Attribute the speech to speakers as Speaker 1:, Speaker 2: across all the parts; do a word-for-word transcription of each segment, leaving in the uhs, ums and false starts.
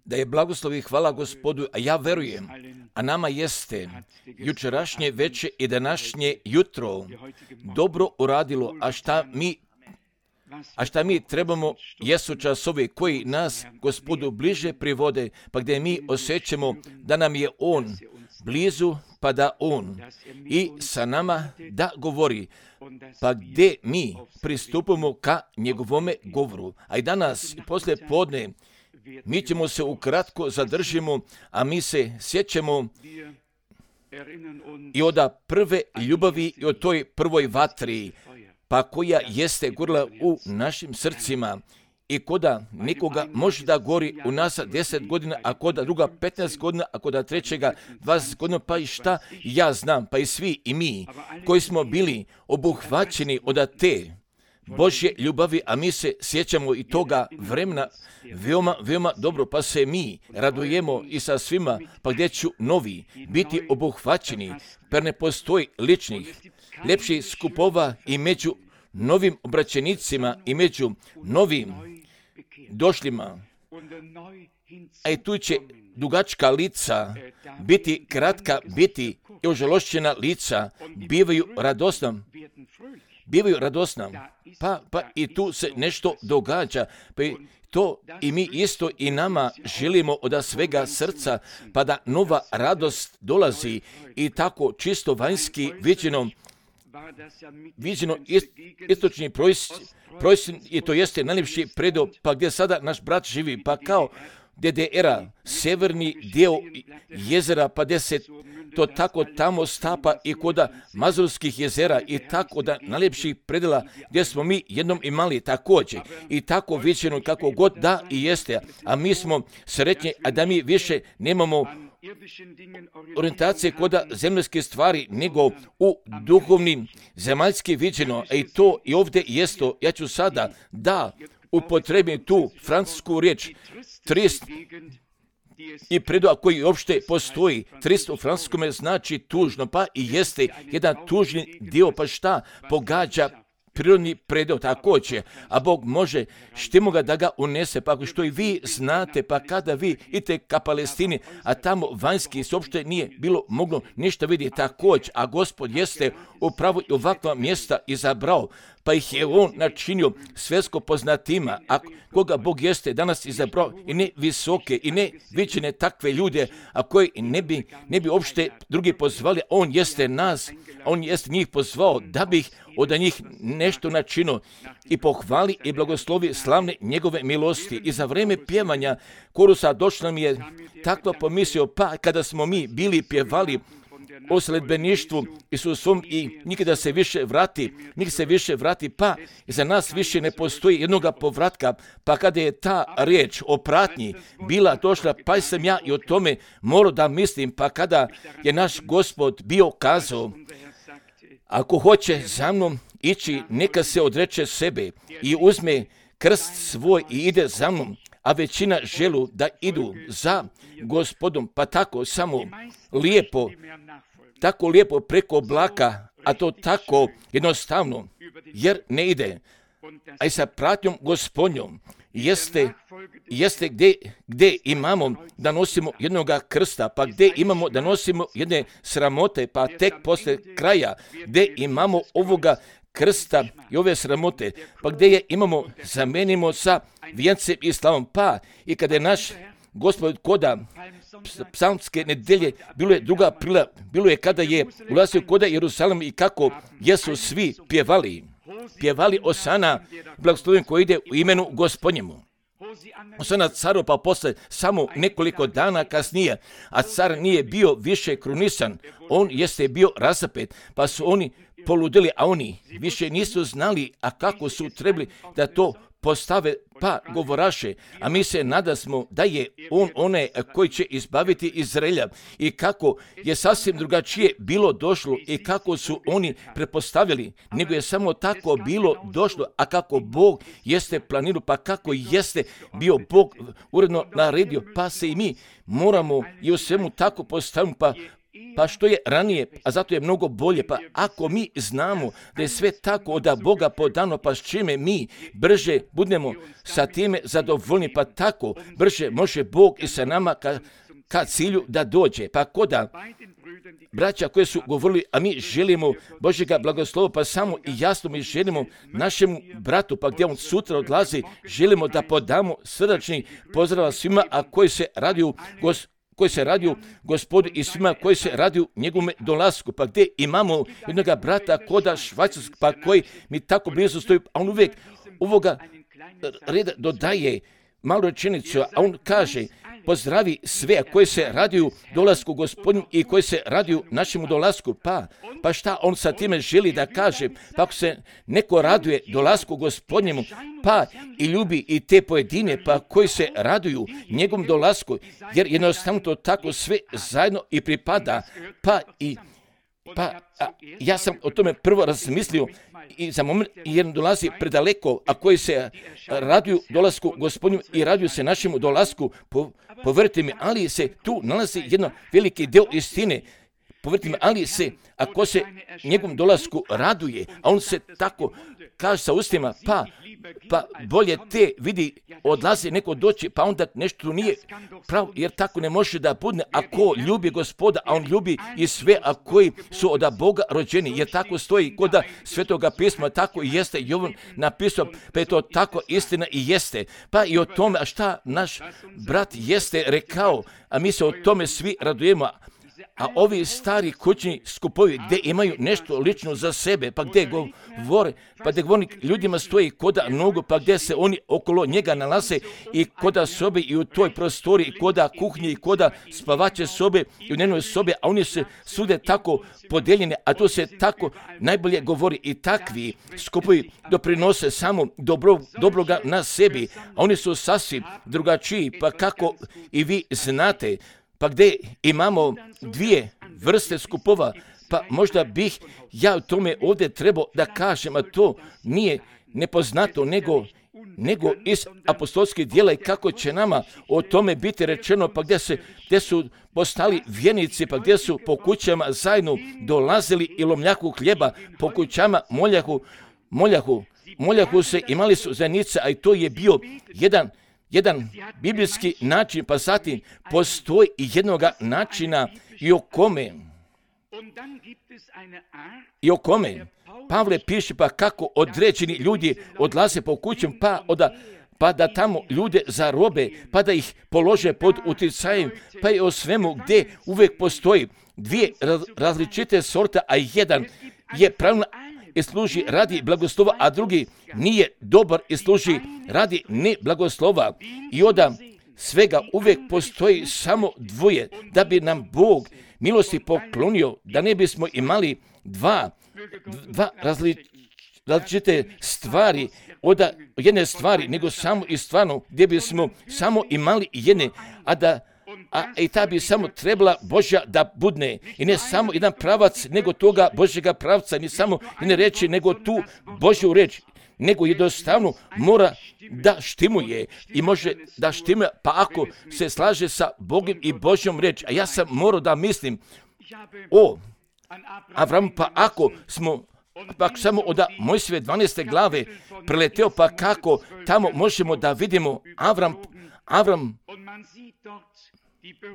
Speaker 1: Da je blagoslov i hvala Gospodu, a ja verujem, a nama jeste jučerašnje veče i današnje jutro dobro uradilo, a šta mi A šta mi trebamo jesu časovi koji nas Gospodu bliže privode, pa gdje mi osjećamo da nam je On blizu, pa da On i sa nama da govori, pa gdje mi pristupimo ka njegovome govoru. A i danas, poslije podne, mi ćemo se ukratko zadržimo, a mi se sjećamo i od prve ljubavi i od toj prvoj vatri, pa koja jeste gorila u našim srcima i koda nikoga može da gori u nas deset godina, a koda druga petnaest godina, a koda trećega dvadeset godina, pa i šta ja znam, pa i svi i mi koji smo bili obuhvaćeni od te Božje ljubavi, a mi se sjećamo i toga vremena veoma, veoma dobro, pa se mi radujemo i sa svima, pa gdje ću novi biti obuhvaćeni, per ne postoji ličnih, lepših skupova i među novim obraćenicima i među novim došlima. A i tu će dugačka lica biti kratka, biti i ožalošćena lica, bivaju radosna. Bivaju radosna, pa, pa i tu se nešto događa, pa i to i mi isto i nama želimo od svega srca, pa da nova radost dolazi i tako čisto vanjski viđeno, viđeno ist, istočni projsin i to jeste najljepši predo, pa gdje sada naš brat živi, pa kao D D R-a, severni dio jezera, pa gdje se to tako tamo stapa i koda Mazurskih jezera i tako da najljepših predela gdje smo mi jednom imali također i tako viđeno kako god da i jeste, a mi smo sretni, a da mi više nemamo orijentacije koda zemljske stvari nego u duhovnim zemaljski viđeno, a i to i ovdje jesto. Ja ću sada da upotrebim tu francusku riječ trist i predoa koji uopšte postoji. Trist u francuskome znači tužno, pa i jeste jedan tužni dio, pa šta pogađa prirodni predeo također, a Bog može štimo ga da ga unese, pa ako što i vi znate, pa kada vi idete ka Palestini, a tamo vanjski se uopšte nije bilo moglo ništa vidjeti također, a Gospod jeste upravo i ovakva mjesta izabrao, pa ih je On načinio svjetsko poznatima, a koga Bog jeste danas izabrao i ne visoke i ne viđene takve ljude, a koji ne bi, ne bi uopšte drugi pozvali, On jeste nas, On jeste njih pozvao da bi ih od njih nešto načinio i pohvali i blagoslovi slavne njegove milosti. I za vrijeme pjevanja korusa došla mi je takva pomislio, pa kada smo mi bili pjevali o sledbeništvu Isusom i nikada se više vrati, nikada se više vrati, pa za nas više ne postoji jednoga povratka, pa kada je ta riječ o pratnji bila došla, pa sam ja i o tome morao da mislim, pa kada je naš Gospod bio kazao, ako hoće za mnom ići, neka se odreče sebe i uzme krst svoj i ide za mnom, a većina želu da idu za Gospodom, pa tako samo lijepo, tako lijepo preko oblaka, a to tako jednostavno, jer ne ide. A i sa pratnjom Gospodnjom jeste, jeste gdje, gdje imamo da nosimo jednoga krsta, pa gdje imamo da nosimo jedne sramote, pa tek posle kraja gdje imamo ovoga krsta i ove sramote, pa gdje je imamo, zamenimo sa vijencem i slavom, pa i kada je naš Gospod koda psalmske nedelje, bilo je druga prila, bilo je kada je ulazio koda Jerusalim i kako jesu svi pjevali, pjevali Osana, blagoslovljen koji ide u imenu Gospodnjemu. Osana caru, pa posle samo nekoliko dana kasnije, a car nije bio više krunisan, on jeste bio razapet, pa su oni poludeli, a oni više nisu znali, a kako su trebali da to postave, pa govoraše, a mi se nadasmo da je on onaj koji će izbaviti Izraelja i kako je sasvim drugačije bilo došlo i kako su oni prepostavili, nego je samo tako bilo došlo, a kako Bog jeste planirao, pa kako jeste bio Bog uredno naredio, pa se i mi moramo i u svemu tako postaviti, pa Pa što je ranije, a zato je mnogo bolje. Pa ako mi znamo da je sve tako od Boga podano, pa s čime mi brže budemo sa time zadovoljni, pa tako brže može Bog i sa nama ka, ka cilju da dođe. Pa koda braća koji su govorili, a mi želimo Božjega blagoslova, pa samo i jasno mi želimo našemu bratu, pa gdje on sutra odlazi, želimo da podamo srdačni pozdrav svima, a koji se raduju gos, koji se raduju Gospodu i svima koji se raduju njegovome dolasku. Pa gdje imamo jednoga brata koda Švajcarskog, pa koji mi tako blizu stoji, a on uvijek ovoga reda dodaje malu rečenicu, a on kaže: pozdravi sve koji se raduju dolasku Gospodinu i koji se raduju našemu dolasku. Pa, pa šta on sa time želi da kaže? Pa ako se neko raduje dolasku Gospodnjemu, pa i ljubi i te pojedine, pa koji se raduju njegovom dolasku, jer jednostavno to tako sve zajedno i pripada. Pa i Pa a, ja sam o tome prvo razmislio i za moment jer dolazi predaleko, a koji se raduju dolasku Gospodinu i raduju se našemu dolasku, po, povrti mi, ali se tu nalazi jedno veliki deo istine. Povrti mi, ali se, ako se njegovom dolasku raduje, a on se tako kaže sa ustima, pa, pa bolje te vidi odlazi neko doći, pa onda nešto nije pravo, jer tako ne može da bude. Ako ljubi Gospoda, a on ljubi i sve, a koji su od Boga rođeni, jer tako stoji kod Svetoga pisma, tako i jeste Jovan napisao, pa je to tako istina i jeste. Pa i o tome, a šta naš brat jeste rekao, a mi se o tome svi radujemo. A ovi stari kućni skupovi gdje imaju nešto lično za sebe, pa gdje govore, pa gdje govornik ljudima stoji koda nogu, pa gdje se oni okolo njega nalaze i koda sobe i u toj prostori, i koda kuhnje, i koda spavače sobe i u njenoj sobe, a oni se svude tako podeljene, a to se tako najbolje govori i takvi skupovi doprinose samo dobro, dobroga na sebi, a oni su sasvim drugačiji, pa kako i vi znate. Pa gdje imamo dvije vrste skupova, pa možda bih ja u tome ovdje trebao da kažem, a to nije nepoznato, nego, nego iz apostolskih djela i kako će nama o tome biti rečeno, pa gdje, se, gdje su postali vjernici, pa gdje su po kućama zajedno dolazili i lomljaku hljeba, po kućama moljahu, moljahu, moljahu se imali su zajednice, a i to je bio jedan Jedan biblijski način, pa zatim postoji i jednoga načina i o kome, i o kome Pavle piše, pa kako određeni ljudi odlaze po kućom, pa, oda, pa da tamo ljude zarobe, pa da ih polože pod utjecajem, pa i o svemu gdje uvijek postoji dvije različite sorte, a jedan je pravilno i služi radi blagoslova, a drugi nije dobar i služi radi ne blagoslova. I onda svega uvijek postoji samo dvoje, da bi nam Bog milosti poklonio, da ne bismo imali dva, dva različite stvari, od jedne stvari, nego samo i stvarno, gdje bismo samo imali jedne, a da a i ta bi samo trebala Božja da budne. I ne samo jedan pravac, nego toga Božjega pravca, ni samo ne reći, nego tu Božju reč, nego jednostavno mora da štimuje i može da štimuje, pa ako se slaže sa Bogom i Božjom reč. A ja sam morao da mislim o Avramu, pa ako smo pa samo od Mojsijeve dvanaeste glave preleteo, pa kako tamo možemo da vidimo Avram, Avram,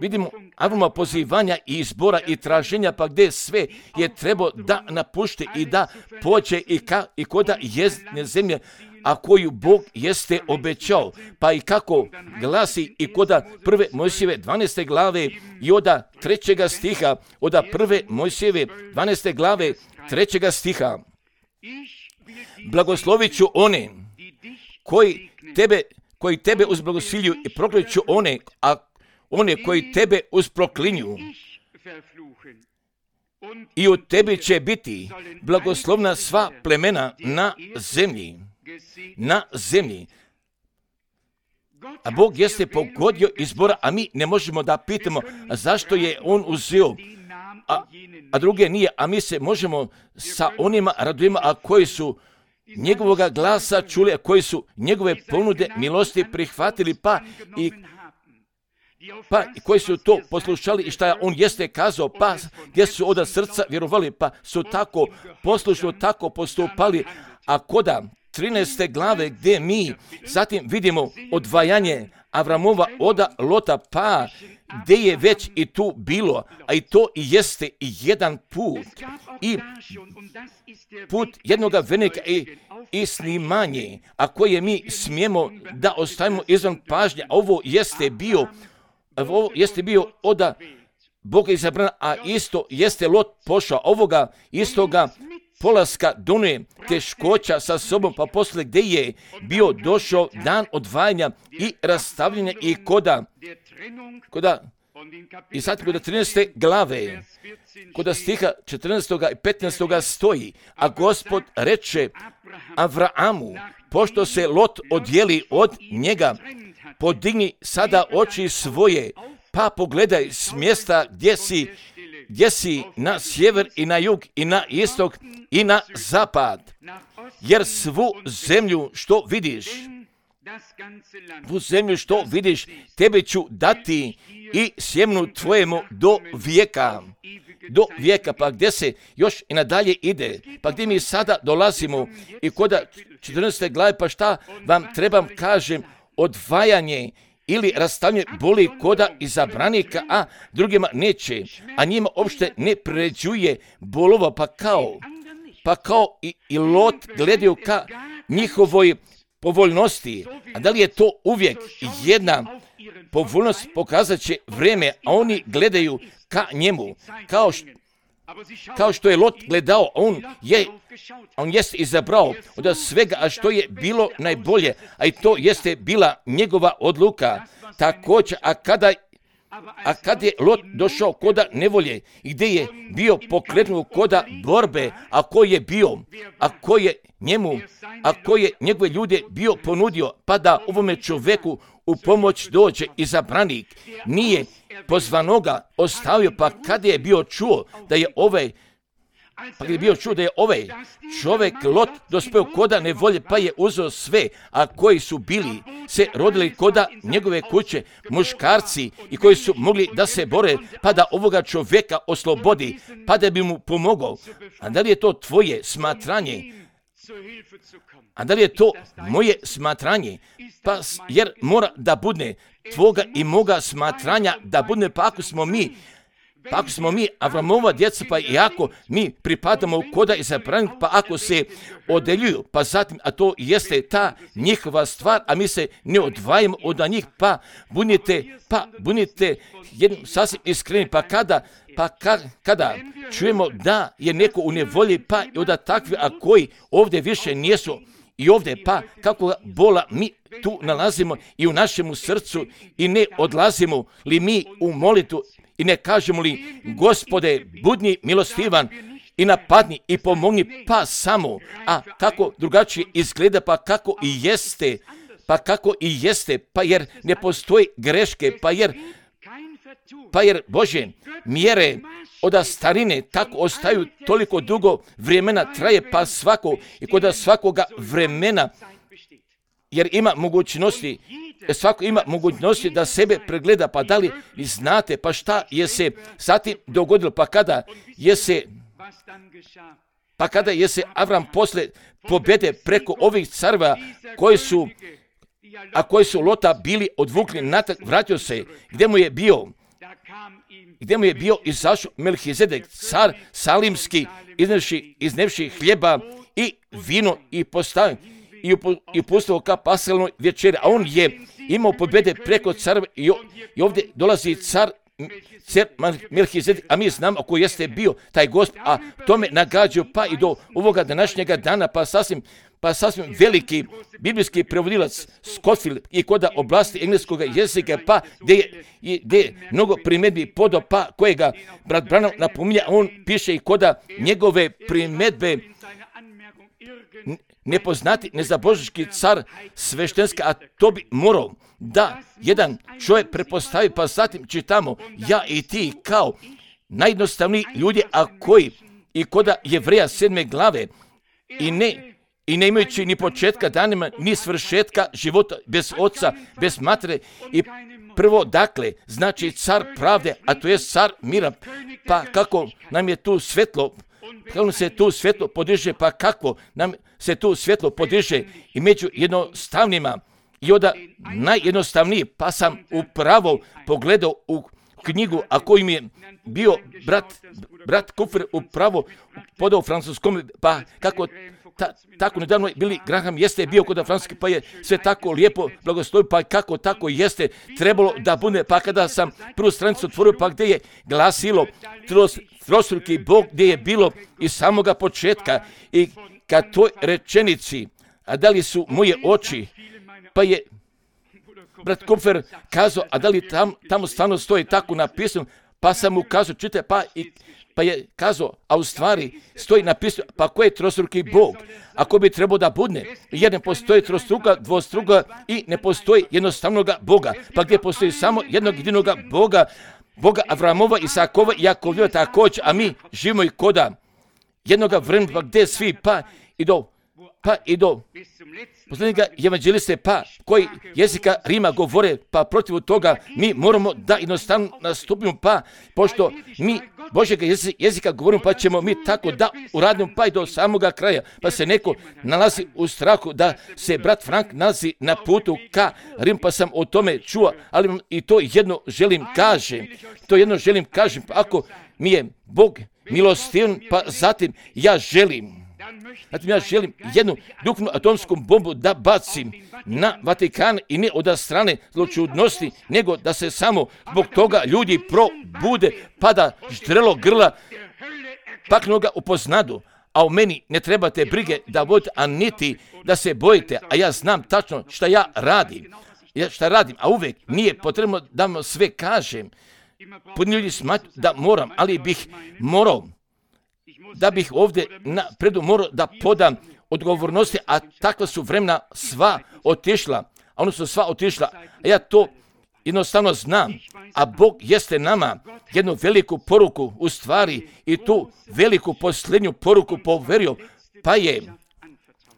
Speaker 1: vidimo Avrama pozivanja i izbora i traženja, pa gdje sve je trebao da napušti i da pođe i, ka, i koda jezdne zemlje, a koju Bog jeste obećao. Pa i kako glasi i koda prve Mojsijeve dvanaeste glave i oda trećega stiha, oda prve Mojsijeve dvanaeste glave trećega stiha. Blagoslovit ću one koji tebe, koji tebe uzblagosvilju i proklet ću one, a one koji tebe usproklinju. I u tebi će biti blagoslovna sva plemena na zemlji. Na zemlji. A Bog jeste pogodio izbora, a mi ne možemo da pitamo zašto je on uzeo, a, a druge nije, a mi se možemo sa onima radujemo, a koji su njegovoga glasa čuli, a koji su njegove ponude milosti prihvatili, pa i pa koji su to poslušali i šta on jeste kazao, pa gdje su od srca vjerovali, pa su tako poslušno tako postupali, a koda trinaeste glave gdje mi zatim vidimo odvajanje Avramova od Lota, pa gdje je već i tu bilo, a i to i jeste i jedan put, i put jednoga vernika i, i snimanje, a koje mi smijemo da ostavimo izvan pažnje, a ovo jeste bio, ovo jeste bio od Boga izabrana, a isto jeste Lot pošao, ovoga istoga polaska donuje teškoća sa sobom, pa poslije gdje je bio došao dan odvajanja i rastavljanja i koda, koda i sad kod trinaeste glave, kod stiha četrnaestog i petnaestog stoji, a Gospod reče Avraamu, pošto se Lot odjeli od njega, podigni sada oči svoje, pa pogledaj s mjesta gdje si, gdje si na sjever i na jug i na istok i na zapad, jer svu zemlju što vidiš, svu zemlju što vidiš, tebe ću dati i sjemnu tvojemu do vijeka, do vijeka, pa gdje se još i nadalje ide, pa gdje mi sada dolazimo i kod četrnaeste glave, pa šta vam trebam kažem, odvajanje ili rastavljanje boli koda izabranika, a drugima neće, a njima uopšte ne pređuje bolova, pa kao, pa kao i, i Lot gledaju ka njihovoj povoljnosti, a da li je to uvijek jedna povoljnost, pokazat će vrijeme, a oni gledaju ka njemu, kao što, kao što je Lot gledao, on je on jeste izabrao od svega, a što je bilo najbolje, a i to jeste bila njegova odluka. Također, a kada A kad je Lot došao koda nevolje, gdje je bio pokrenut koda borbe, a ko je bio, a ko je njemu, a ko je njegove ljude bio ponudio, pa da ovome čovjeku u pomoć dođe izabranik, nije pozvanoga ostavio, pa kad je bio čuo da je ovaj, pa kad je bio čuo da je ovaj čovjek Lot dospeo koda nevolje, pa je uzeo sve, a koji su bili se rodili koda njegove kuće, muškarci i koji su mogli da se bore, pa da ovoga čovjeka oslobodi, pa da bi mu pomogao. A da li je to tvoje smatranje? A da li je to moje smatranje? Pa jer mora da bude tvoga i moga smatranja, da bude, pa ako smo mi Pa ako smo mi Avramova djeca, pa i ako mi pripadamo koda izabranik, pa ako se odeljuju, pa zatim, a to jeste ta njihova stvar, a mi se ne odvajamo od njih, pa bunite, pa bunite jednom sasvim iskreni, pa kada, pa ka, kada čujemo da je neko u nevolji, pa i od takvi, a koji ovdje više nijesu, i ovdje, pa kako bola mi tu nalazimo i u našemu srcu i ne odlazimo li mi u molitu i ne kažemo li, Gospode, budni milostivan i napadni i pomogni, pa samo, a kako drugačije izgleda, pa kako i jeste, pa kako i jeste, pa jer ne postoji greške, pa jer, pa jer Bože, mjere od starine tako ostaju toliko dugo vremena traje, pa svako i kod svakoga vremena, jer ima mogućnosti, svako ima mogućnosti da sebe pregleda, pa da li znate, pa šta je se zatim dogodilo, pa kada je se, pa kada je se Avram posle pobjede preko ovih carva koji su, a koji su Lota bili odvukli natrag, vratio se, gdje mu je bio, gdje mu je bio izašao Melhizedek, car salimski, iznevši, iznevši hljeba i vino i postavio i upustio ka paselnoj večeri, a on je imao pobjede preko carva i, i ovdje dolazi car, car Melhizedek, a mi znamo ko jeste bio taj Gospod, a tome nagađaju pa i do ovoga današnjega dana, pa sasvim, pa sasvim veliki biblijski prevodilac Scofield i koda oblasti engleskog jezika, pa gdje je, gdje je mnogo primjedbi podo, pa kojega brat Branham napominja, on piše i koda njegove primjedbe nepoznati, nezabožnički car sveštenska, a to bi morao da jedan čovjek prepostavi, pa zatim čitamo ja i ti kao najjednostavniji ljudi, a koji i koda Jevreja sedme glave i ne i ne imajući ni početka danima, ni svršetka života bez oca, bez matere i Prvo, dakle, znači car pravde, a to je car mira. Pa kako nam je tu svetlo, kako nam se tu svetlo podiže, pa kako nam se tu svetlo podiže i među jednostavnima i onda najjednostavniji, pa sam upravo pogledao u knjigu, a koji mi je bio brat, brat Kupfer upravo podao francuskom, pa kako ta, tako nedavno Billy Graham jeste bio kod Francuske, pa je sve tako lijepo blagoslovio, pa kako tako jeste trebalo da bude, pa kada sam prvu stranicu otvorio, pa gdje je glasilo tros, trostruki Bog, gdje je bilo iz samoga početka i kad toj rečenici, a da li su moje oči, pa je brat Kupfer kazao, a da li tam, tamo stvarno stoji tako napisano, pa sam mu kazao, čitaj, pa, i, pa je kazao, a u stvari stoji napisano, pa ko je trostruki Bog? Ako bi trebao da budne, jer ne postoji trostruka, dvostruka i ne postoji jednostavnoga Boga, pa gdje postoji samo jednog jedinoga Boga, Boga Avramova, Isakova i Jakovljeva također, a mi živimo i koda jednoga vremena, pa gdje svi, pa i do, pa i do posljednjega evanđeliste, pa koji jezika Rima govore, pa protiv toga mi moramo da jednostavno nastupimo, pa pošto mi Božjega jezika govorimo, pa ćemo mi tako da uradimo, pa i do samoga kraja, pa se neko nalazi u strahu da se brat Frank nalazi na putu ka Rim, pa sam o tome čuo, ali i to jedno želim kažem, to jedno želim kažem, pa ako mi je Bog milostivan, pa zatim ja želim, Zatim ja želim jednu duhovnu atomsku bombu da bacim na Vatikan i ne od strane zločudnosti, nego da se samo zbog toga ljudi probude, pa da ždrelo grla paknoga upoznadu. A u meni ne trebate brige da vodite, a niti da se bojite, a ja znam tačno šta ja radim. Ja šta radim, a uvijek nije potrebno da vam sve kažem. Podnijeli smatru da moram, ali bih morao, da bih ovdje na predu morao da podam odgovornosti, a takva su vremena sva otišla, a ono su sva otišla, a ja to jednostavno znam, a Bog jeste nama jednu veliku poruku u stvari i tu veliku posljednju poruku poverio, pa je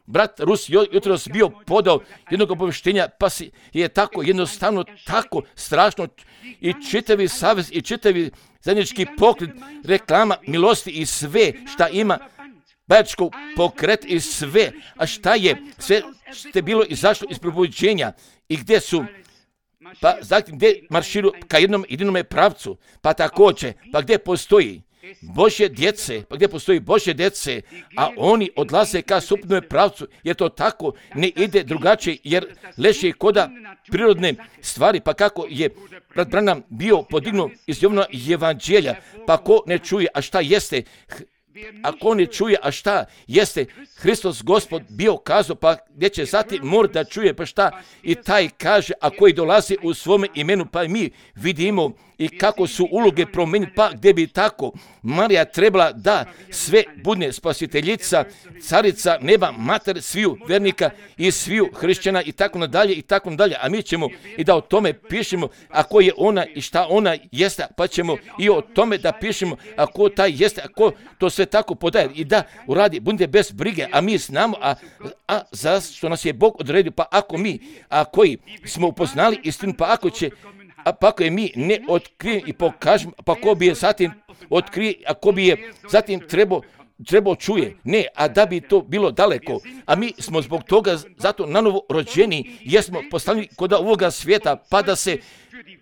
Speaker 1: brat Rus jutros bio podao jednog obavještenja, pa si je tako jednostavno, tako strašno i čitavi savez i čitavi zajednički pokret, reklama milosti i sve šta ima bajačko pokret i sve, a šta je sve ste bilo izašlo iz probuđenja i gdje su, pa zatim gdje marširu ka jednom jedinome pravcu, pa također, pa gdje postoji Božje djece, pa gdje postoji Božje djece, a oni odlaze ka suprotnome pravcu, jer to tako ne ide drugačije, jer leži koda prirodne stvari, pa kako je brat Branham bio podignuo iz Jovana evanđelja, pa ko ne čuje, a šta jeste, ako ne čuje, a šta jeste Hristos Gospod bio kazao, pa gdje će zatim morati da čuje, pa šta i taj kaže, a koji dolazi u svome imenu, pa mi vidimo i kako su uloge promijeniti, pa gdje bi tako Marija trebala da sve budne spasiteljica, carica neba, mater sviju vernika i sviju hrišćana i tako nadalje i tako nadalje, a mi ćemo i da o tome pišemo, a ko je ona i šta ona jeste, pa ćemo i o tome da pišemo, a ko taj jeste, a ko to sve tako podaje i da uradi, bude bez brige, a mi znamo, a, a zašto nas je Bog odredio, pa ako mi, a koji smo upoznali istinu, pa ako će, a pa ako je mi ne otkrijem i pokažem, pa ko bi je zatim otkrije, a ko bi je zatim trebao trebao čuje, ne, a da bi to bilo daleko, a mi smo zbog toga zato nanovo rođeni, jesmo postavljeni kod ovoga svijeta, pa da se,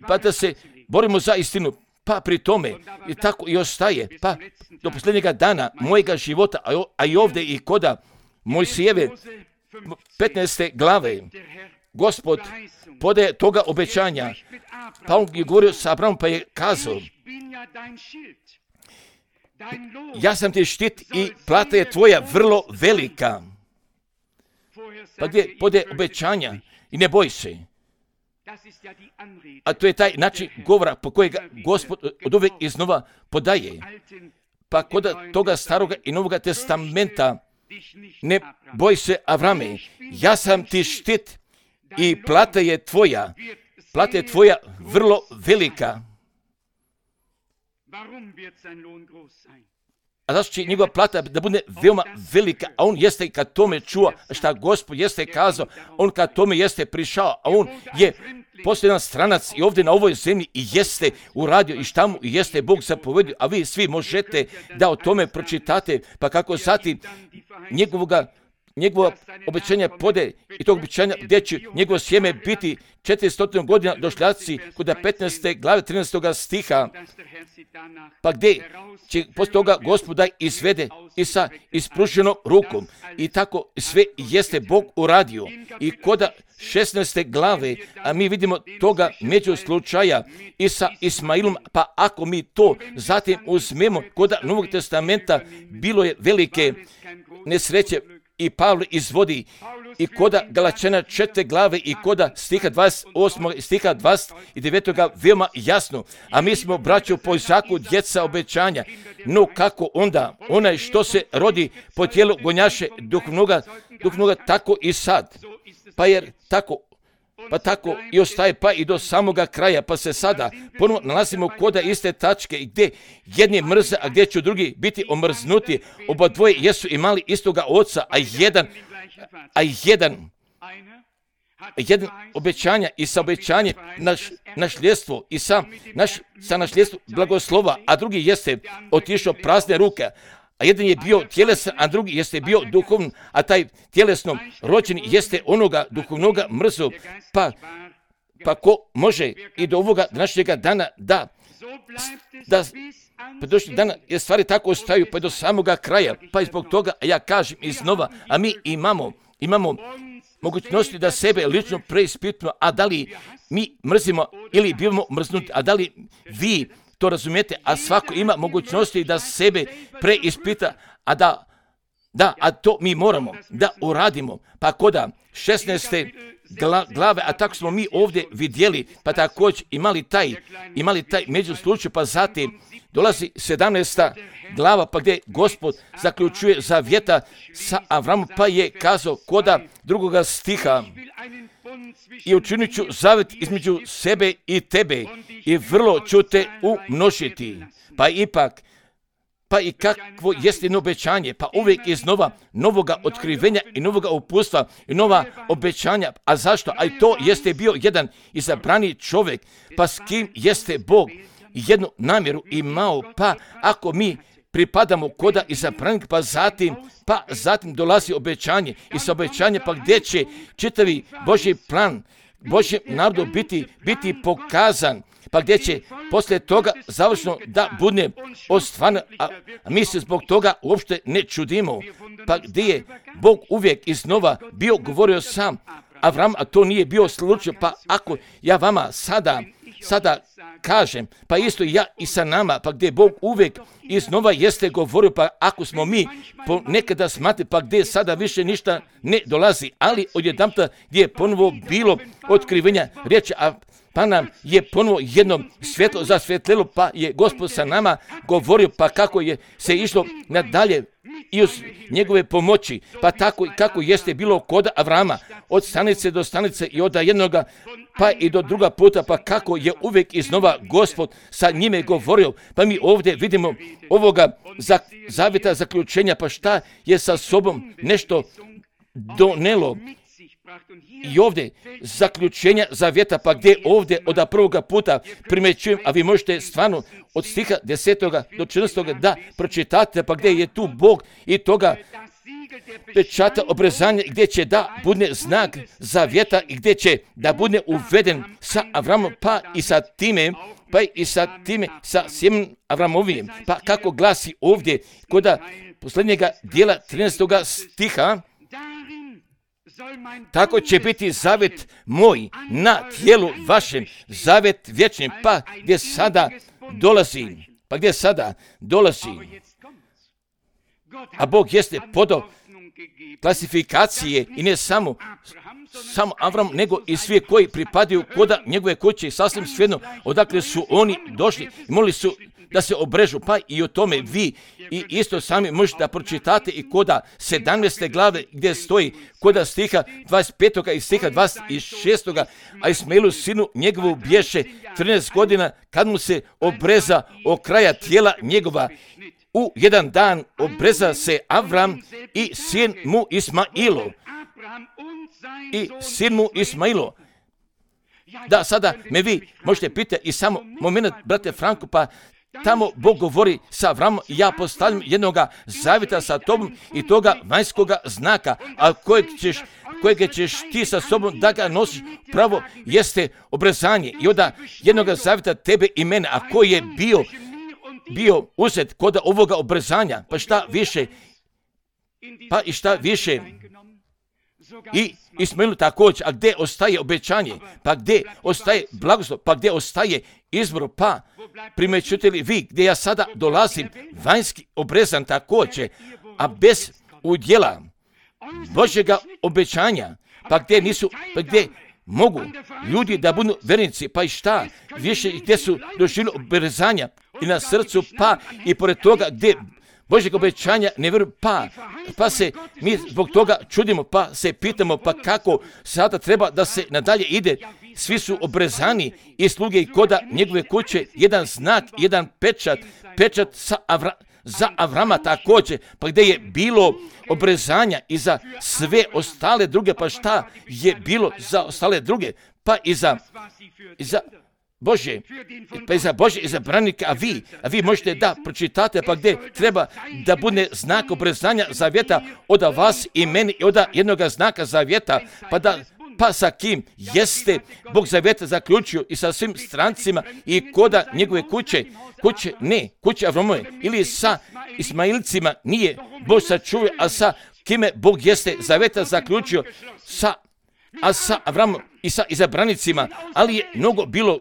Speaker 1: pa da se borimo za istinu, pa pri tome i tako i ostaje, pa do posljednjega dana mojega života, a i ovdje i koda Mojsijeve petnaeste glave, Gospod podaje toga obećanja, pa on je govorio sa Abrahamom, pa je kazao, ja sam ti štit i plata je tvoja vrlo velika. Pa gdje podaje obećanja i ne boj se. A to je taj način govora po kojega Gospod od uvijek iznova podaje. Pa kod toga staroga i novoga testamenta ne boj se Avrame, ja sam ti štit i plata je tvoja, plata je tvoja vrlo velika. a zašto će njegova plata da bude veoma velika, a on jeste kad tome čuo šta Gospod jeste kazao, on kad tome jeste prišao, a on je posljedan stranac i ovdje na ovoj zemlji i jeste uradio i šta mu jeste Bog zapovedio, a vi svi možete da o tome pročitate, pa kako zatim njegovoga njegovo obećanje pode i tog obećanja gdje će njegovo sjeme biti četiristo godina došljaci kod petnaeste glave trinaestog stiha, pa gdje će poslije toga Gospod da izvede i sa ispruženom rukom i tako sve jeste Bog uradio i kod šesnaeste glave, a mi vidimo toga među slučaja i sa Ismailom, pa ako mi to zatim uzmemo kod Novog testamenta, bilo je velike nesreće i Pavle izvodi i koda Galačana četvrte glave i koda stiha dvadeset osmog i stiha dvadeset devetog veoma jasno, a mi smo, braćo, po Izaku djeca obećanja, no kako onda onaj što se rodi po tijelu gonjaše duhovnoga, duhovnoga tako i sad, pa jer tako pa tako i ostaje pa i do samoga kraja, pa se sada ponovno nalazimo koda iste tačke gdje jedni mrze, a gdje će drugi biti omrznuti. Oba dvoje jesu imali istoga oca, a jedan, a jedan, jedan obećanja i sa obećanje naš, našljedstvo i sa, naš, sa našljedstvo blagoslova, a drugi jeste otišao prazne ruke. A jedan je bio tjelesan, a drugi jeste bio duhovni, a taj tjelesno rođeni jeste onoga duhovnoga mrzu, pa, pa ko može i do ovoga današnjega dana da, da pa došli dana je stvari tako ostaju pa do samoga kraja, pa i zbog toga ja kažem iznova, a mi imamo, imamo mogućnosti da sebe lično preispitimo, a da li mi mrzimo ili bivamo mrznuti, a da li vi to razumijete, a svako ima mogućnosti da sebe preispita, a da, da, a to mi moramo da uradimo. Pa koda šesnaeste glave, a tako smo mi ovdje vidjeli, pa također imali taj, imali taj međuslučaj, pa zatim dolazi sedamnaesta glava, pa gdje Gospod zaključuje zavjeta sa Avramom, pa je kazao koda drugoga stiha, i učinit ću zavjet između sebe i tebe i vrlo ću te umnožiti. Pa ipak, pa i kakvo jest jedno obećanje, pa uvijek iznova novoga otkrivenja i novoga upustva i nova obećanja. A zašto? A i to jeste bio jedan izabrani čovjek, pa s kim jeste Bog jednu namjeru imao, pa ako mi pripadamo koda izabranik, pa zatim, pa zatim dolazi obećanje i sa obećanje pa gdje će čitavi Božji plan Božjem narodu biti, biti pokazan, pa gdje će poslije toga završno da bude ostvareno, a mi se zbog toga uopšte ne čudimo, pa gdje je Bog uvijek iznova bio govorio sam Avram, a to nije bio slučaj, pa ako ja vama sada, sada kažem, pa isto ja i sa nama, pa gdje Bog uvijek iznova jeste govorio, pa ako smo mi nekada smatli, pa gdje sada više ništa ne dolazi, ali odjedanputa gdje je ponovo bilo otkrivenja riječi, a pa nam je ponovo jedno svjetlo zasvjetlilo, pa je Gospod sa nama govorio, pa kako je se išlo nadalje i uz njegove pomoći, pa tako i kako jeste bilo kod Avrama, od stanice do stanice i od jednoga pa i do druga puta, pa kako je uvijek iznova Gospod sa njime govorio, pa mi ovdje vidimo ovoga zavjeta zaključenja, pa šta je sa sobom nešto donelo. I ovdje zaključenja zavjeta, pa gdje ovdje od prvoga puta primjećujem, a vi možete stvarno od stiha desetoga do četrnaestoga da pročitate, pa gdje je tu Bog i toga pečata obrezanja, gdje će da bude znak zavjeta i gdje će da bude uveden sa Avramom, pa i sa time, pa i sa time, sa sjemenom Avramovim. Pa kako glasi ovdje kod posljednjega dijela trinaestoga stiha, tako će biti zavjet moj na tijelu vašem, zavjet vječni, pa gdje sada dolazi, pa gdje sada dolazi. A Bog jeste podao klasifikacije i ne samo, samo Avram, nego i svi koji pripadaju koda njegove kuće i sasvim svejedno odakle su oni došli i molili su da se obrežu, pa i o tome vi i isto sami možete da pročitate i koda sedamnaeste glave gdje stoji koda stiha dvadeset petog i stiha dvadeset šestog a Ismailu sinu njegovu bješe trinaest godina kad mu se obreza o kraja tijela njegova u jedan dan obreza se Avram i sin mu Ismailo. I sin mu Ismailo. Da, sada me vi možete pitati i samo moment, brate Franko, pa tamo Bog govori sa Avramom, ja postavljam jednoga zavjeta sa tobom i toga vanjskoga znaka, a kojeg ćeš, kojeg ćeš ti sa sobom da ga nosiš, pravo jeste obrezanje. I onda jednoga zavjeta tebe i mene, a koji je bio, bio uzet kod ovoga obrezanja, pa šta više, pa i šta više, i Ismailu također, a gdje ostaje obećanje, pa gdje ostaje blagoslov, pa gdje ostaje izbor, pa primećujete li vi gdje ja sada dolazim, vanjski obrezan također, a bez udjela Božjega obećanja, pa gdje nisu, pa gdje mogu ljudi da budu vernici, pa i šta, više gdje su doživjeli obrezanja i na srcu, pa i pored toga gdje Božjeg obećanja ne vjeruju, pa, pa se mi zbog toga čudimo, pa se pitamo, pa kako sada treba da se nadalje ide. Svi su obrezani i sluge i koda njegove kuće, jedan znak, jedan pečat, pečat sa Avra, za Avrama također, pa gdje je bilo obrezanja i za sve ostale druge, pa šta je bilo za ostale druge, pa i za, i za Bože, pa i za Bože izabranika, a vi, a vi možete da pročitate, pa gdje treba da bude znak obrezanja zavjeta od vas i meni i od jednoga znaka zavjeta, pa da pa sa kim jeste Bog zavjeta zaključio i sa svim strancima i koda njegove kuće, kuće ne, kuće Avramove, ili sa Ismailcima nije Bog sačuvio, a sa kime Bog jeste zavjeta zaključio, sa, a sa Avramom i sa izabranicima, ali je mnogo bilo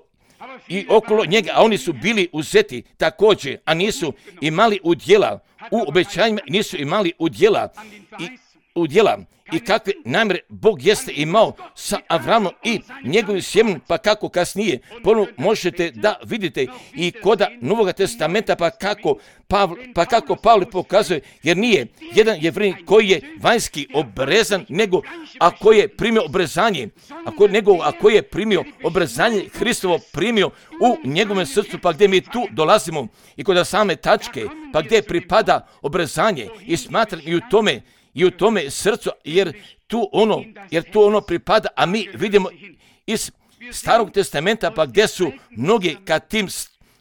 Speaker 1: i okolo njega, a oni su bili uzeti također, a nisu imali udjela u obećanjima, nisu imali udjela i udjela i kakve namjere Bog jeste imao sa Avramom i njegovim sjemenom, pa kako kasnije ponovno možete da vidite i koda Novoga testamenta, pa kako Pavle, pa kako Pavle pokazuje, jer nije jedan jevrin koji je vanjski obrezan, nego a koji je primio obrezanje, a koji, nego a koji je primio obrezanje Hristovo primio u njegovom srcu, pa gdje mi tu dolazimo i kod same tačke, pa gdje pripada obrezanje i smatram i u tome i u tome srcu, jer tu ono, jer tu ono pripada, a mi vidimo iz Starog testamenta, pa gdje su mnogi kad tim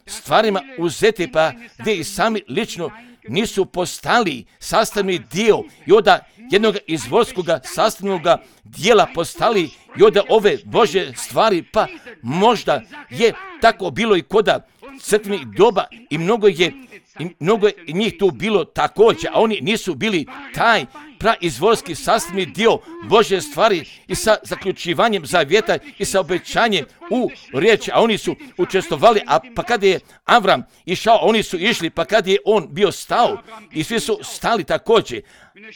Speaker 1: stvarima uzeti, pa gdje i sami lično nisu postali sastavni dio i onda jednog izvorskog sastavnog dijela postali i onda ove Božje stvari, pa možda je tako bilo i koda crkvenih doba i mnogo je I mnogo je njih tu bilo također, a oni nisu bili taj praizvorski sastavni dio Božje stvari i sa zaključivanjem zavjeta i sa obećanjem u riječi, a oni su učestvovali, a pa kada je Avram išao, oni su išli, pa kada je on bio stao i svi su stali također,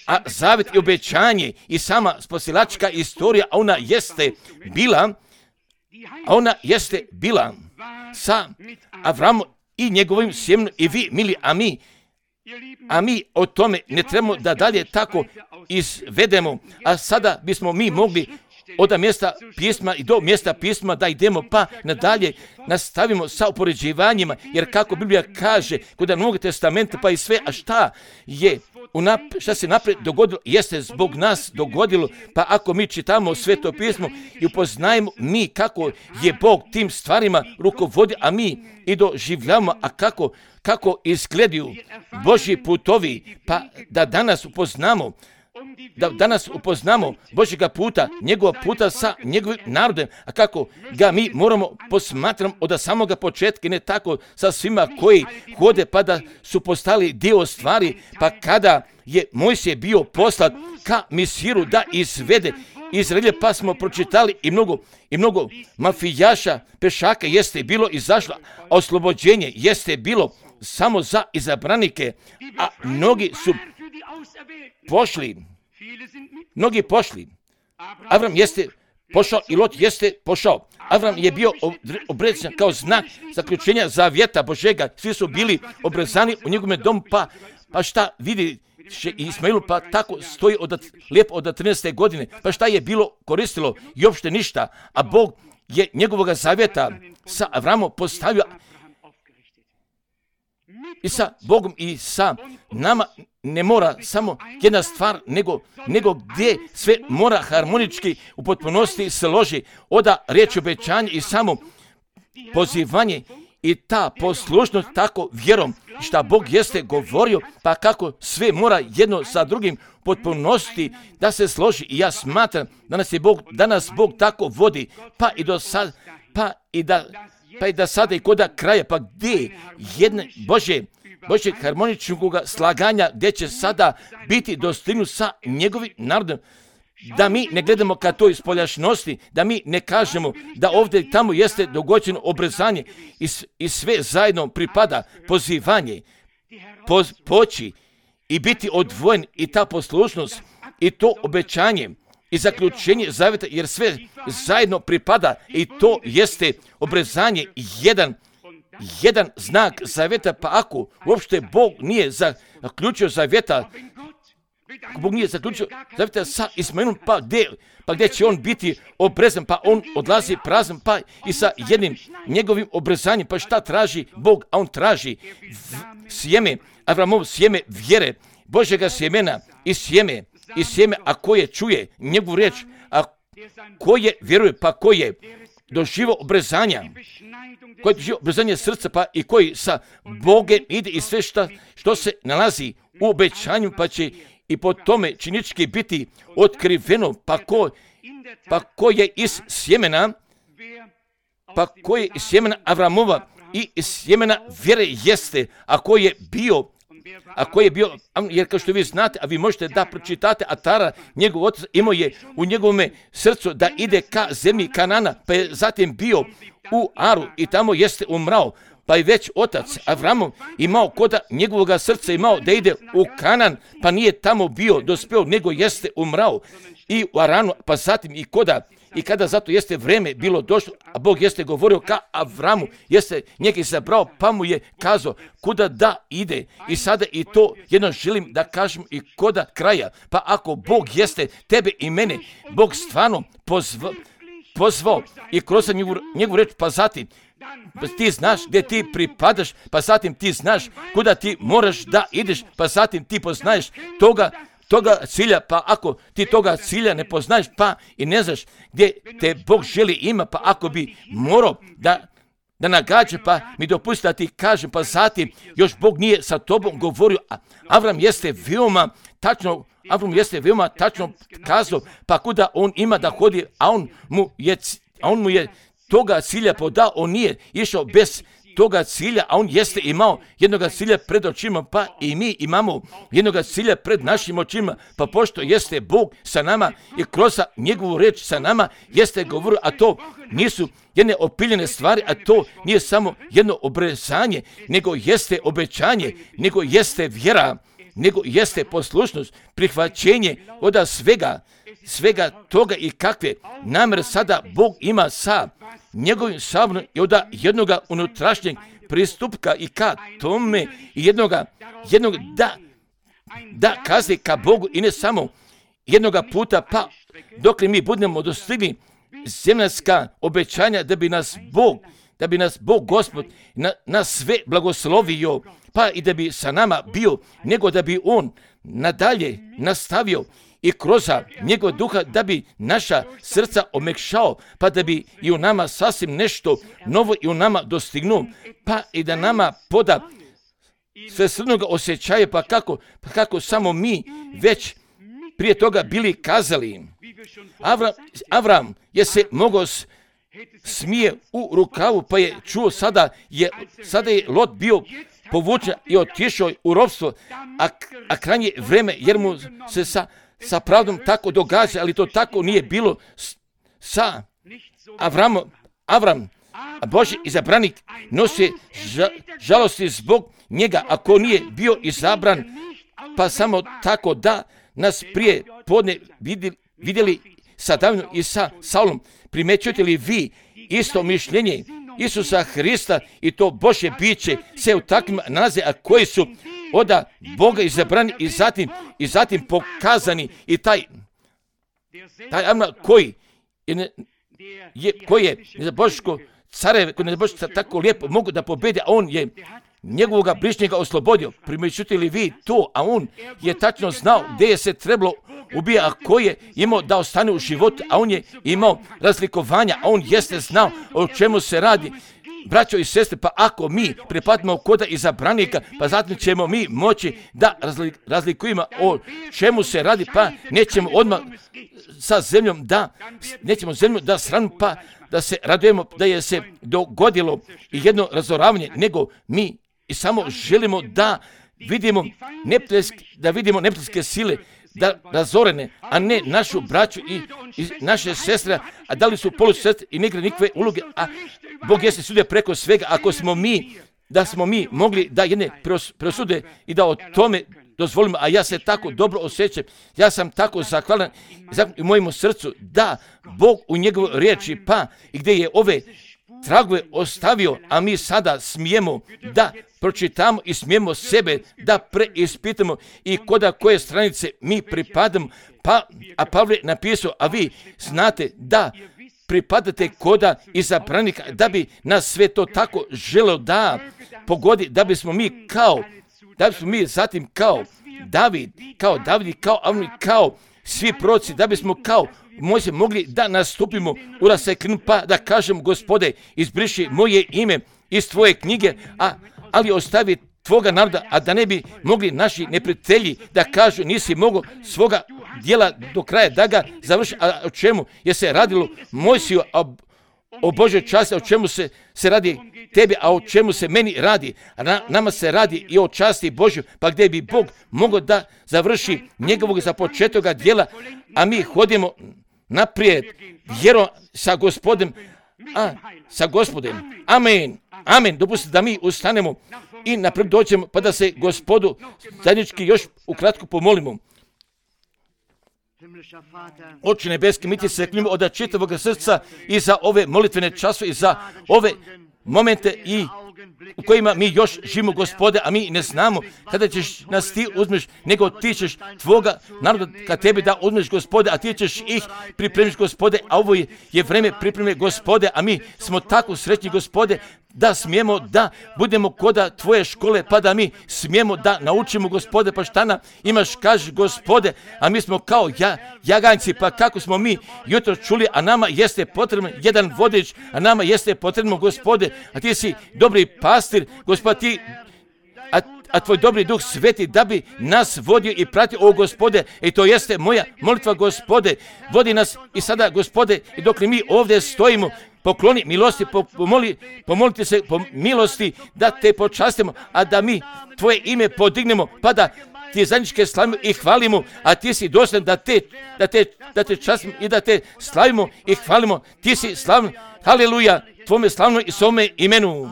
Speaker 1: a zavjet i obećanje i sama spasilačka istorija, a ona jeste bila, a ona jeste bila sa Avramom i njegovim sjemenom i vi, mili, a mi, a mi o tome ne trebamo da dalje tako izvedemo, a sada bismo mi mogli od mjesta pisma i do mjesta pisma da idemo pa nadalje nastavimo sa upoređivanjima, jer kako Biblija kaže kod Novog testamenta pa i sve, a šta je Unap, šta se naprijed dogodilo, jeste zbog nas dogodilo, pa ako mi čitamo Sveto pismo i upoznajemo mi kako je Bog tim stvarima rukovodio, a mi i doživljamo, a kako, kako izgledaju Božji putovi, pa da danas upoznamo, da danas upoznamo Božjega puta, njegova puta sa njegovim narodom, a kako ga mi moramo posmatrati od samoga početka, ne tako sa svima koji hode pa da su postali dio stvari, pa kada je Mojsije bio poslat ka Misiru da izvede Izraelje, pa smo pročitali i mnogo, i mnogo mafijaša, pešaka jeste bilo izašlo, a oslobođenje jeste bilo samo za izabranike, a mnogi su pošli, mnogi pošli. Avram jeste pošao i Lot jeste pošao. Avram je bio obrezan kao znak zaključenja zavjeta Božega. Svi su bili obrezani u njegovom domu, pa, pa šta vidi Ismailu, pa tako stoji od, lijepo od trinaeste godine. Pa šta je bilo koristilo? I uopšte ništa. A Bog je njegovog zavjeta sa Avramom postavio i sa Bogom i sa nama ne mora samo jedna stvar, nego, nego gdje sve mora harmonički u potpunosti se loži. Oda riječ obećanje i samo pozivanje i ta poslušnost tako vjerom šta Bog jeste govorio, pa kako sve mora jedno sa drugim potpunosti da se složi. I ja smatram da nas je Bog, da nas Bog tako vodi, pa i do sad, pa i da, pa i da sada i koda kraja, pa gdje jedne Bože, Božeg harmoničnog slaganja, gdje će sada biti dostignut sa njegovim narodom. Da mi ne gledamo ka toj spoljašnosti, da mi ne kažemo da ovdje i tamo jeste dogođeno obrezanje i, i sve zajedno pripada pozivanje, poz, poći i biti odvojen i ta poslušnost i to obećanje i zaključenje zavjeta, jer sve zajedno pripada i to jeste obrezanje jedan, jedan znak zavjeta, pa ako uopšte Bog nije zaključio zavjeta, Bog nije zaključio zavjeta sa Ismailom, pa gdje, pa gdje će on biti obrezan, pa on odlazi prazan, pa i sa jednim njegovim obrezanjem, pa šta traži Bog, a on traži sjeme, Avramov sjeme vjere, Božjega sjemena i sjeme, i sjeme, a koje čuje njegovu riječ, a koje vjeruje, pa koje doživo obrezanja, koji doživo obrezanje srca, pa i koji sa Bogem ide i sve šta, što se nalazi u obećanju, pa će i po tome činički biti otkriveno, pa ko, pa ko je iz sjemena, pa ko je iz sjemena Avramova i iz sjemena vjere jeste, a ko je bio, a ko je bio, jer kao što vi znate, a vi možete da pročitate, Atara, njegov otac, imao je u njegovome srcu da ide ka zemlji Kanana, pa je zatim bio u Aru i tamo jeste umrao, pa je već otac Avramov imao koda njegovog srca imao da ide u Kanan, pa nije tamo bio dospeo, nego jeste umrao i u Aranu, pa zatim i koda, i kada zato jeste vreme bilo došlo, a Bog jeste govorio ka Avramu, jeste njega izabrao, pa mu je kazao kuda da ide. I sada i to jedno želim da kažem i koda kraja, pa ako Bog jeste tebe i mene, Bog stvarno pozvao, pozvao i kroz njegovu, njegovu reč, pa zatim pa ti znaš gdje ti pripadaš, pa zatim ti znaš kuda ti moraš da ideš, pa zatim ti poznaješ toga, toga cilja, pa ako ti toga cilja ne poznaješ, pa i ne znaš gdje te Bog želi ima, pa ako bi morao da, da nagađa, pa mi dopusti da ti kažem, pa zatim još Bog nije sa tobom govorio, a Avram jeste veoma tačno, Avram jeste veoma tačno kazao, pa kuda on ima da hodi, a on mu je, a on mu je toga cilja podao, on nije išao bez toga cilja, a on jeste imao jednoga cilja pred očima, pa i mi imamo jednoga cilja pred našim očima, pa pošto jeste Bog sa nama i kroz njegovu reč sa nama jeste govorio, a to nisu jedne opiljene stvari, a to nije samo jedno obrezanje, nego jeste obećanje, nego jeste vjera, nego jeste poslušnost, prihvaćenje od svega, svega toga i kakve namere sada Bog ima sa njegovim sabornom i od jednoga unutrašnjeg pristupka i ka tome i jednoga, jednoga da, da kaze ka Bogu i ne samo jednoga puta, pa dok li mi budemo dostigli zemaljska obećanja da bi nas Bog, da bi nas Bog Gospod na, na sve blagoslovio, pa i da bi sa nama bio, nego da bi On nadalje nastavio i kroz njegov duha da bi naša srca omekšao, pa da bi i u nama sasvim nešto novo i u nama dostignuo, pa i da nama poda sve srnog osjećaja, pa kako, pa kako samo mi već prije toga bili kazali. Avram, Avram je se mogao smije u rukavu, pa je čuo sada je, sada je Lot bio povučen i otišao u ropstvo, a, a krajnje vreme, jer mu se sa sa pravdom tako događa, ali to tako nije bilo sa Avramom. Avram, Božji izabranik, nosi ža, žalosti zbog njega, ako nije bio izabran, pa samo tako da nas prije podne vidjeli, vidjeli sa Davidom i sa Saulom. Primećujete li vi isto mišljenje Isusa Hrista i to Božje biće se u takvim nalaze, a koji su od Boga izabrani i zatim, i zatim pokazani i taj, taj Avram koji je, je, koji je za Božko carev, koji je za Božko tako lijepo mogu da pobedi, a on je njegovoga bližnjega oslobodio. Primjećujete li vi to? A on je tačno znao gdje je se trebalo ubija, a ko je imao da ostane u životu, a on je imao razlikovanja, a on jeste znao o čemu se radi. Braćo i sestre, pa ako mi pripadimo koda izabranika, pa zatim ćemo mi moći da razlikujemo o čemu se radi, pa nećemo odmah sa zemljom da, nećemo zemlju da sramimo, pa da se radujemo da je se dogodilo jedno razoravanje, nego mi i samo želimo da vidimo neprijateljske, da vidimo neprijateljske sile, da razorene, a ne našu braću i, i naše sestre, a da li su polusestre i ne igra nikakve uloge, a Bog jeste sudio preko svega. Ako smo mi, da smo mi mogli da jedne presude i da o tome dozvolimo, a ja se tako dobro osjećam, ja sam tako zahvalan u mojemu srcu da Bog u njegovoj riječi, pa i gdje je ove tragove ostavio, a mi sada smijemo da pročitamo i smijemo sebe da preispitamo i koda koje stranice mi pripadamo. Pa, a Pavle napisao, a vi znate da pripadate koda izabranika, da bi nas sve to tako želeo da pogodi, da bismo mi kao, da bismo mi zatim kao David, kao David, kao Avni, kao svi proroci, da bismo kao Mojsije mogli da nastupimo u raseklinu, pa da kažem, Gospode, izbriši moje ime iz tvoje knjige, a, ali ostavi tvoga naroda, a da ne bi mogli naši neprijatelji da kažu nisi mogao svoga djela do kraja da ga završi. A o čemu je se radilo Mojsiju, a o Božoj časti, o čemu se, se radi tebi, a o čemu se meni radi. A na, nama se radi i o časti Božju, pa gdje bi Bog mogao da završi njegovog započetoga djela, a mi hodimo naprijed vjerom sa Gospodem, a sa Gospodem. Amen. Amen. Dopustite da mi ustanemo i naprijed dođemo, pa da se Gospodu zajednički još ukratko pomolimo. Oče nebeski, mi ti se klinimo od čitavog srca i za ove molitvene časove i za ove momente i u kojima mi još živimo, Gospode, a mi ne znamo kada ćeš nas ti uzmeš, nego ti ćeš tvoga naroda ka tebi da uzmeš, Gospode, a ti ćeš ih pripremiš, Gospode, a ovo je, je vreme pripreme, Gospode, a mi smo tako srećni, Gospode, da smijemo da budemo koda tvoje škole, pa da mi smijemo da naučimo, Gospode, pa šta nam imaš, kaži, Gospode, a mi smo kao ja, jaganjci, pa kako smo mi jutro čuli, a nama jeste potreban jedan vodič, a nama jeste potrebno, Gospode, a ti si dobri pastir, Gospod, ti, a, a tvoj dobri duh sveti da bi nas vodio i pratio, o Gospode, i to jeste moja molitva, Gospode, vodi nas i sada, Gospode, i dok mi ovdje stojimo, pokloni milosti, pomoli, pomolite se po milosti da te počastimo, a da mi tvoje ime podignemo, pa da ti zajedničke slavimo i hvalimo, a ti si dostojan da te, da te, da te častimo i da te slavimo i hvalimo. Ti si slavan, haleluja, tvome slavno i svome imenu.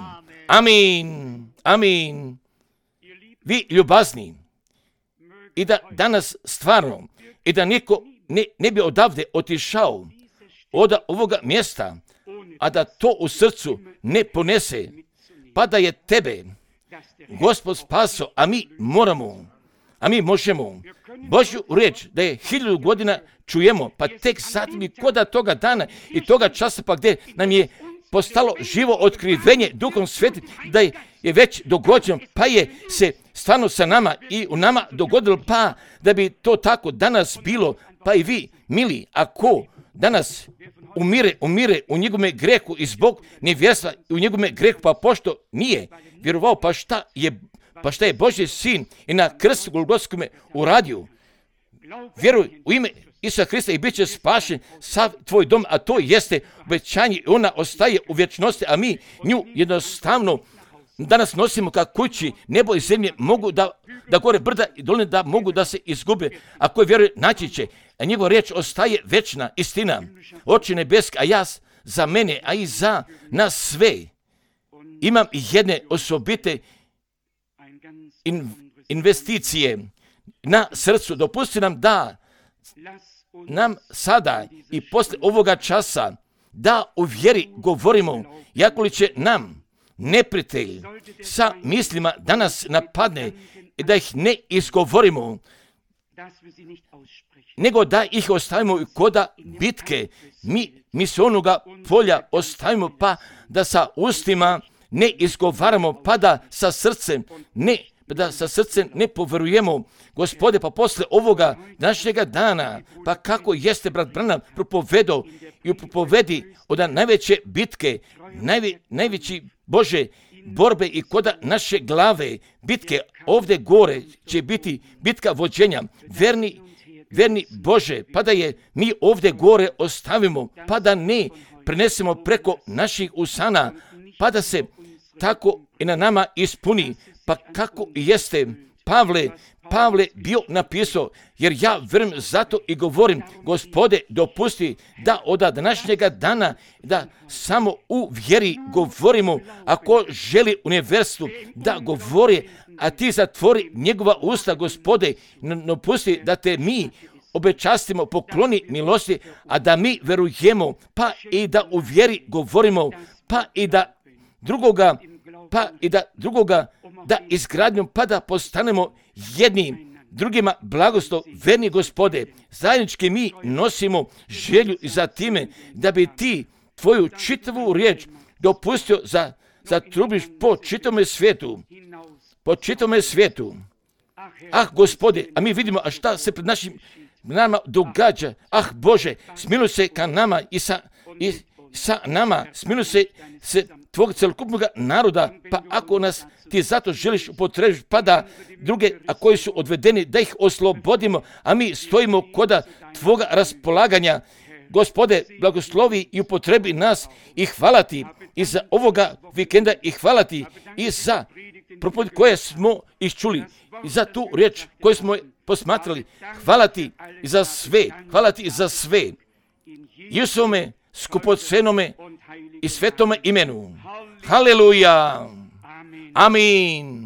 Speaker 1: Amin, amin. Vi ljubazni, i da danas stvarno, i da niko ne, ne bi odavde otišao od ovoga mjesta, a da to u srcu ne ponese, pa da je tebe Gospod spasao, a mi moramo, a mi možemo Božju riječ da je hiljadu godina čujemo, pa tek zatim i koda toga dana i toga časa, pa gdje nam je postalo živo otkrivenje Duhom Svetim, da je, je već dogođeno, pa je se stvarno sa nama i u nama dogodilo, pa da bi to tako danas bilo, pa i vi, mili, ako danas umire, umire u njegovome grehu i zbog nevjerstva u njegovome grehu, pa pošto nije vjerovao, pa šta je, pa šta je Božji sin i na krstu Golgotskome uradio. Vjeruj u ime Isusa Krista i bit će spašen sav tvoj dom, a to jeste obećanje i ona ostaje u vječnosti, a mi nju jednostavno danas nosimo ka kući. Nebo i zemlje mogu da, da gore brda i doline da mogu da se izgube, a koji vjeruje naći će, a njegova riječ ostaje večna istina. Oče nebeski, a ja za mene, a i za nas sve imam jedne osobite in, investicije na srcu. Dopusti nam da nam sada i posle ovoga časa da u vjeri govorimo, jako li će nam neprijatelj sa mislima da nas napadne i da ih ne izgovorimo, nego da ih ostavimo koda bitke, mi, mi se onoga polja ostavimo, pa da sa ustima ne izgovaramo, pa da sa srcem ne da sa srcem ne poverujemo, Gospode, pa posle ovoga današnjega dana, pa kako jeste brat Branham propovedao i u propovedi od najveće bitke, najve, najveći Bože borbe i koda naše glave, bitke ovdje gore će biti bitka vođenja, verni, verni Bože, pa da je mi ovdje gore ostavimo, pa da ne prenesemo preko naših usana, pa da se tako i na nama ispuni. Pa kako jeste Pavle, Pavle bio napisao, jer ja vjerujem zato i govorim, Gospode, dopusti da od današnjega dana, da samo u vjeri govorimo, ako želi univerzitu da govori, a ti zatvori njegova usta, Gospode, dopusti da te mi obečastimo, pokloni milosti, a da mi verujemo, pa i da u vjeri govorimo, pa i da drugoga, pa i da drugoga, da izgradnjom, pa da postanemo jednim drugima blagoslov, verni Gospode, zajednički mi nosimo želju za time da bi ti tvoju čitavu riječ dopustio za, za trubiš po čitome svijetu, po čitome svijetu. Ah, Gospode, a mi vidimo, a šta se pred našim nama događa. Ah, Bože, smiluj se ka nama i sa, i sa nama, smiluj se, se tvog celokupnog naroda, pa ako nas ti zato želiš upotrebiti, pa da druge, a koji su odvedeni, da ih oslobodimo, a mi stojimo koda tvoga raspolaganja. Gospode, blagoslovi i upotrebi nas i hvala ti i za ovoga vikenda i hvala ti i za propovjed koje smo iščuli i za tu riječ koju smo posmatrali. Hvala ti i za sve, hvala ti i za sve. Isusovome skupocenome i svetome imenu. Haleluja. Amin.